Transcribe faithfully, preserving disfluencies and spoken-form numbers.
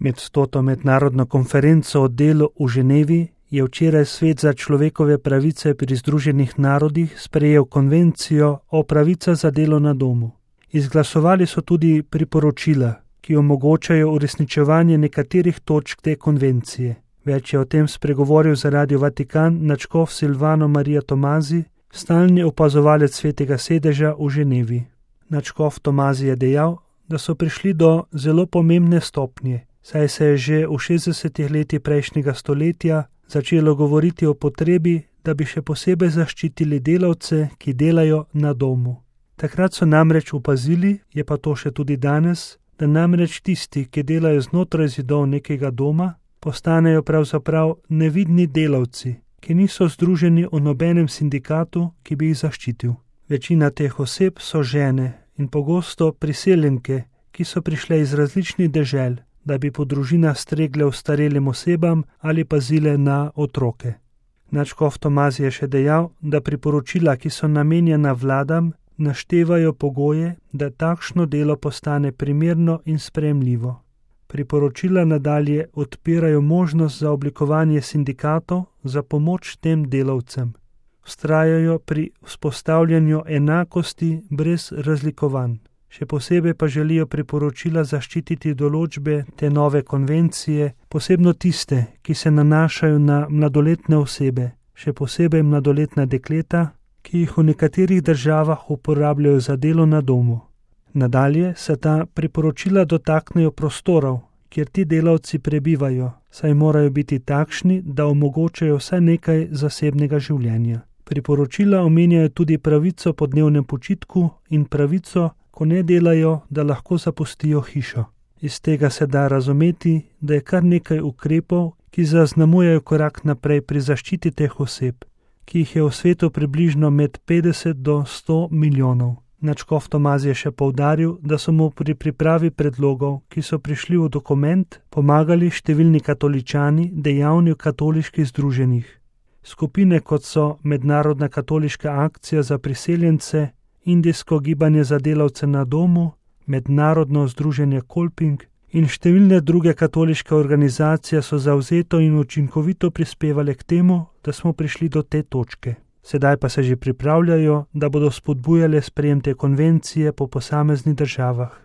Med stoto mednarodno konferenco o delu v Ženevi je včeraj Svet za človekove pravice pri Združenih narodih sprejel konvencijo o pravicah za delo na domu. Izglasovali so tudi priporočila, ki omogočajo uresničevanje nekaterih točk te konvencije. Več je o tem spregovoril za Radio Vatikan nadškof Silvano Maria Tomazi, stalni opazovalec Svetega sedeža v Ženevi. Nadškof Tomazi je dejal, da so prišli do zelo pomembne stopnje, saj se je že v šestdesetih letih prejšnjega stoletja začelo govoriti o potrebi, da bi še posebej zaščitili delavce, ki delajo na domu. Takrat so namreč opazili, je pa to še tudi danes, da namreč tisti, ki delajo znotraj zidov nekega doma, postanejo pravzaprav nevidni delavci, ki niso združeni v nobenem sindikatu, ki bi jih zaščitil. Večina teh oseb so žene in pogosto priseljenke, ki so prišle iz različnih dežel, da bi po družinah stregle ostarelim osebam ali pazile na otroke. Nadškof Tomazi je še dejal, da priporočila, ki so namenjena vladam, naštevajo pogoje, da takšno delo postane primerno in sprejemljivo. Priporočila nadalje odpirajo možnost za oblikovanje sindikatov za pomoč tem delavcem. Vztrajajo pri vzpostavljanju enakosti brez razlikovanj. Še posebej pa želijo priporočila zaščititi določbe te nove konvencije, posebno tiste, ki se nanašajo na mladoletne osebe, še posebej mladoletna dekleta, ki jih v nekaterih državah uporabljajo za delo na domu. Nadalje se ta priporočila dotaknejo prostorov, kjer ti delavci prebivajo, saj morajo biti takšni, da omogočajo vsaj nekaj zasebnega življenja. Priporočila omenjajo tudi pravico po dnevnem počitku in pravico, ko ne delajo, da lahko zapustijo hišo. Iz tega se da razumeti, da je kar nekaj ukrepov, ki zaznamujejo korak naprej pri zaščiti teh oseb, ki jih je v svetu približno med petdeset do sto milijonov. Nadškof Tomazi je še poudaril, da so mu pri pripravi predlogov, ki so prišli v dokument, pomagali številni katoličani, dejavni v katoliških združenjih. Skupine, kot so Mednarodna katoliška akcija za priseljence, Indijsko gibanje za delavce na domu, Mednarodno združenje Kolping in številne druge katoliške organizacije so zavzeto in učinkovito prispevale k temu, da smo prišli do te točke. Sedaj pa se že pripravljajo, da bodo spodbujale sprejem te konvencije po posameznih državah.